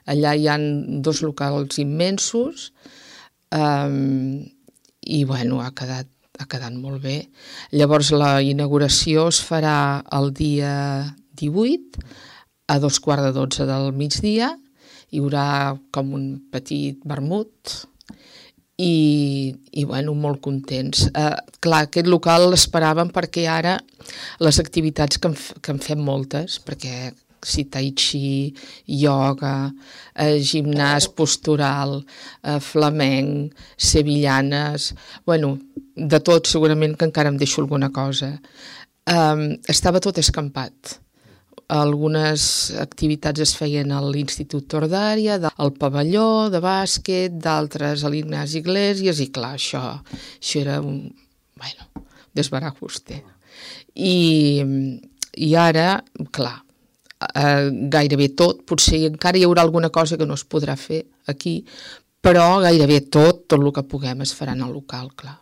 Allà hi ha 2 locals immensos i, bueno, ha quedat molt bé. Llavors, la inauguració es farà el dia 18 a 12:15 del migdia. Hi haurà com un petit vermut i bueno, molt contents. Clar, aquest local l'esperàvem perquè ara les activitats que en fem moltes, perquè si tai chi, ioga, gimnàs postural, flamenc, sevillanes, bueno, de tot, segurament que encara em deixo alguna cosa. Estava tot escampat. Algunes activitats es feien a l'Institut Tordària, al pavelló de bàsquet, d'altres a l'Ignasi Iglesias, i clar, això era un desbarajuste. I ara, clar, gairebé tot, potser encara hi haurà alguna cosa que no es podrà fer aquí, però gairebé tot el que puguem es farà en el local, clar.